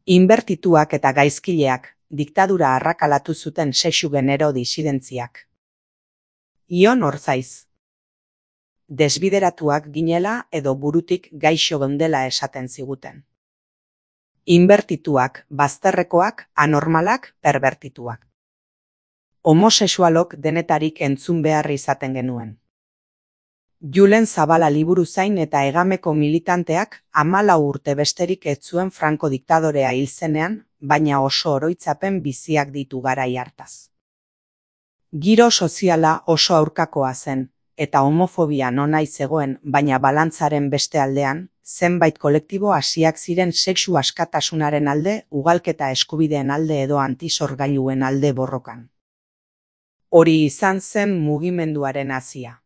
Inbertituak eta gaizkileak, diktadura arrakalatu zuten sexu genero disidentziak. Ion Orzaiz. Desbideratuak ginela edo burutik gaixo geundela esaten ziguten. Inbertituak, bazterrekoak, anormalak, perbertituak. Homosexualok denetarik entzun behar izaten genuen. Julen Zabala liburuzain eta hegameko militanteak 14 urte besterik ez zuen Franco diktadorea hil zenean, baina oso oroitzapen biziak ditu garai hartaz. Giro soziala oso aurkakoa zen, eta homofobia nonai zegoen, baina balantzaren beste aldean, zenbait kolektibo hasiak ziren sexu askatasunaren alde, ugalketa eskubideen alde edo antisorgailuen alde borrokan. Hori izan zen mugimenduaren hasia.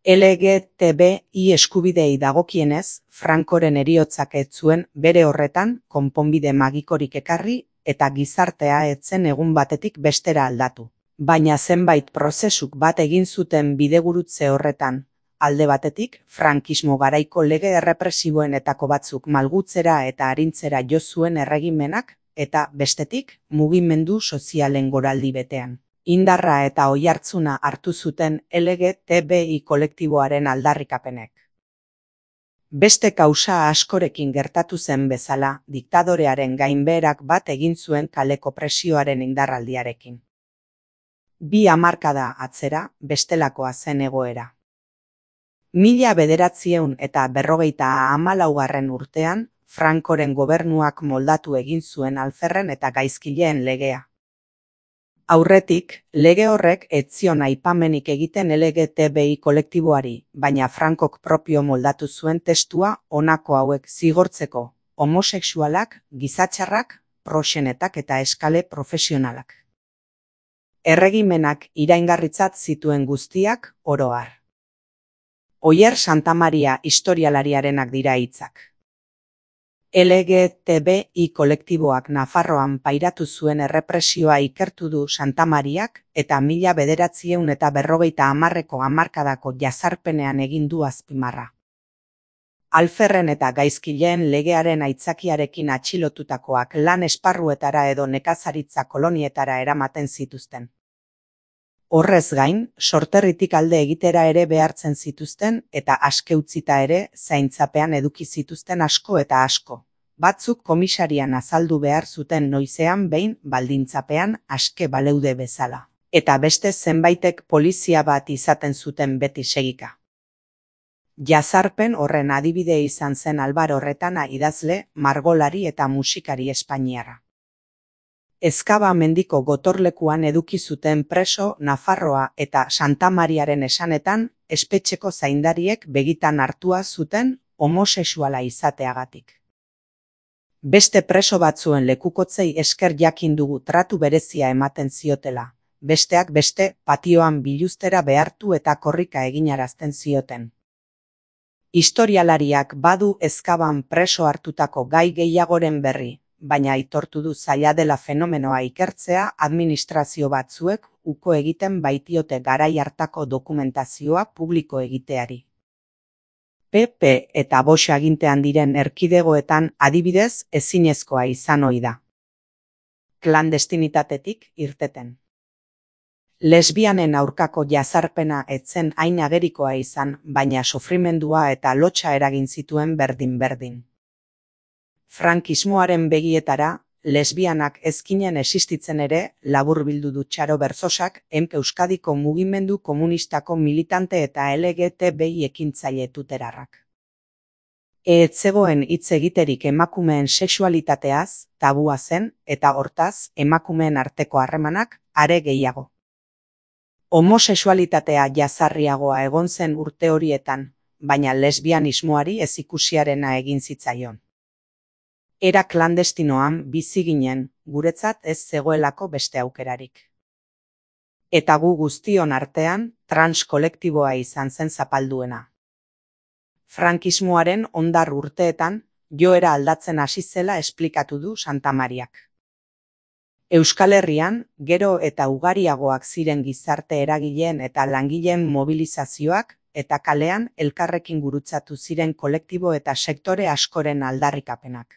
LGTBI eskubidei dagokienez, Francoren heriotzak ez zuen bere horretan konponbide magikorik ekarri eta gizartea ez zen egun batetik bestera aldatu. Baina zenbait prozesuk bat egin zuten bidegurutze horretan. Alde batetik, frankismo garaiko lege errepresiboenetako batzuk malgutzera eta arintzera jo zuen erregimenak, eta bestetik, mugimendu sozialen goraldi betean. Indarra eta oihartzuna hartu zuten LGTBI kolektiboaren aldarrikapenek. Beste kausa askorekin gertatu zen bezala, diktadorearen gainbeherak bat egin zuen kaleko presioaren indarraldiarekin. 2 hamarkada atzera, bestelakoa zen egoera. 1954 urtean, Francoren gobernuak moldatu egin zuen alferren eta gaizkileen legea. Aurretik, lege horrek ez zion aipamenik egiten LGTBI kolektiboari, baina Francok propio moldatu zuen testua honako hauek zigortzeko: homosexualak, gizatxarrak, proxenetak eta eskale profesionalak. Erregimenak iraingarritzat zituen guztiak, oro har. Oier Santamaria historialariarenak dira hitzak. LGTBI kolektiboak Nafarroan pairatu zuen errepresioa ikertu du Santamariak eta 1950ko hamarkadako jazarpenean egin du azpimarra. Alferren eta gaizkileen legearen aitzakiarekin atxilotutakoak lan esparruetara edo nekazaritza kolonietara eramaten zituzten. Horrez gain, sorterritik alde egitera ere behartzen zituzten eta aske utzita ere zaintzapean eduki zituzten asko eta asko. Batzuk komisarian azaldu behar zuten noizean behin baldintzapean aske baleude bezala. Eta beste zenbaitek polizia bat izaten zuten beti segika. Jazarpen horren adibide izan zen Albaro Retana idazle, margolari eta musikari espainiarra. Ezkaba mendiko gotorlekuan eduki zuten preso Nafarroa eta Santamariaren esanetan, espetxeko zaindariek begitan hartua zuten homosexuala izateagatik. Beste preso batzuen lekukotzei esker jakin dugu tratu berezia ematen ziotela, besteak beste patioan biluztera behartu eta korrika eginarazten zioten. Historialariak badu ezkaban preso hartutako gai gehiagoren berri, baina aitortu du zaila dela fenomenoa ikertzea administrazio batzuek uko egiten baitiote garai hartako dokumentazioa publiko egiteari. PP eta Bosch agintean diren erkidegoetan adibidez ezinezkoa izan ohi da. Klandestinitatetik irteten. Lesbianen aurkako jazarpena ez zen hain agerikoa izan, baina sofrimendua eta lotsa eragin zituen berdin-berdin. Frankismoaren begietara, lesbianak ezkinen existitzen ere, laburbildu du Txaro Berzosak, Euskadiko mugimendu komunistako militante eta LGTBI ekintzaile tuterarrak. Ez zegoen hitz egiterik emakumeen sexualitateaz, tabua zen, eta hortaz, emakumeen arteko harremanak are gehiago. Homosexualitatea jazarriagoa egon zen urte horietan, baina lesbianismoari ezikusiarena egin zitzaion. Era klandestinoan bizi ginen, guretzat ez zegoelako beste aukerarik. Eta gu guztion artean, trans kolektiboa izan zen zapalduena. Frankismoaren hondar urteetan, joera aldatzen hasi zela esplikatu du Santamariak. Euskal Herrian, gero eta ugariagoak ziren gizarte eragileen eta langileen mobilizazioak, eta kalean elkarrekin gurutzatu ziren kolektibo eta sektore askoren aldarrikapenak.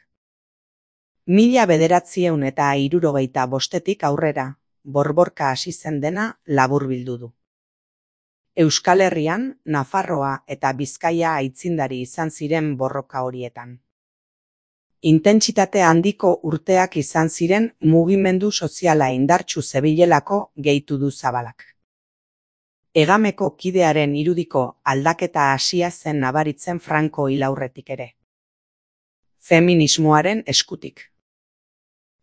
1975etik aurrera, borborka hasi zen dena laburbildu du. Euskal Herrian, Nafarroa eta Bizkaia aitzindari izan ziren borroka horietan. Intentsitate handiko urteak izan ziren mugimendu soziala indartsu zebilelako gehitu du Zabalak. Egameko kidearen irudiko aldaketa hasia zen nabaritzen Franco hil aurretik ere. Feminismoaren eskutik.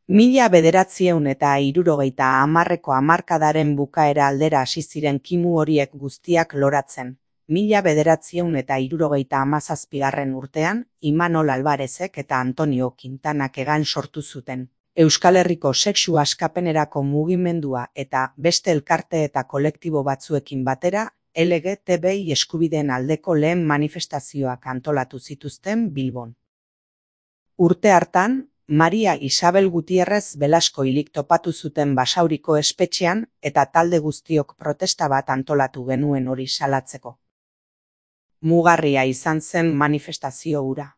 1970ko hamarkadaren bukaera aldera hasi ziren kimu horiek guztiak loratzen. 1977 urtean, Imanol Alvarezek eta Antonio Quintanak egan sortu zuten. Euskal Herriko sexu askapenerako mugimendua eta beste elkarte eta kolektibo batzuekin batera, LGTBI eskubideen aldeko lehen manifestazioak antolatu zituzten Bilbon. Urte hartan, Maria Isabel Gutierrez Belasko hilik topatu zuten Basauriko espetxean eta talde guztiok protesta bat antolatu genuen hori salatzeko. Mugarria izan zen manifestazio hura.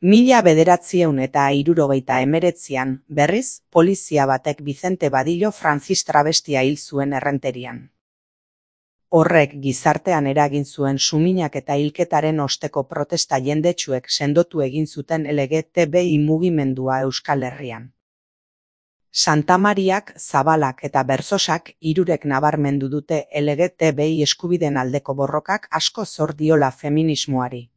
1979an, berriz, polizia batek Vicente Badillo Francis travestia hil zuen Errenterian. Horrek gizartean eragin zuen suminak eta hilketaren osteko protesta jendetsuek sendotu egin zuten LGTBI mugimendua Euskal Herrian. Santamariak, Zabalak eta Berzosak hirurek nabarmendu dute LGTBI eskubideen aldeko borrokak asko zor diola feminismoari.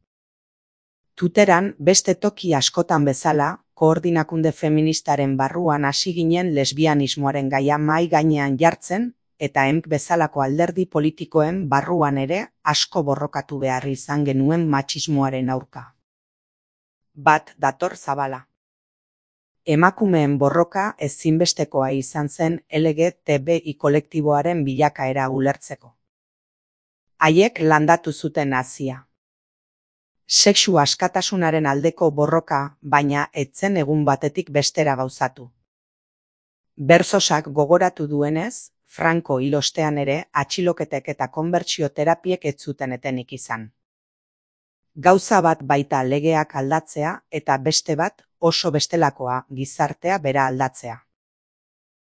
Tuteran, beste toki askotan bezala, koordinakunde feministaren barruan hasi ginen lesbianismoaren gaia mahai gainean jartzen, eta EMK bezalako alderdi politikoen barruan ere asko borrokatu behar izan genuen matxismoaren aurka. Bat dator Zabala. Emakumeen borroka ezinbestekoa izan zen LGTBI kolektiboaren bilakaera ulertzeko. Haiek landatu zuten hazia. Sexu askatasunaren aldeko borroka, baina etzen egun batetik bestera gauzatu. Berzosak gogoratu duenez, Franco hil ostean ere atxiloketek eta konbertsio terapiek ez zuten etenik izan. Gauza bat baita legeak aldatzea eta beste bat oso bestelakoa gizartea bera aldatzea.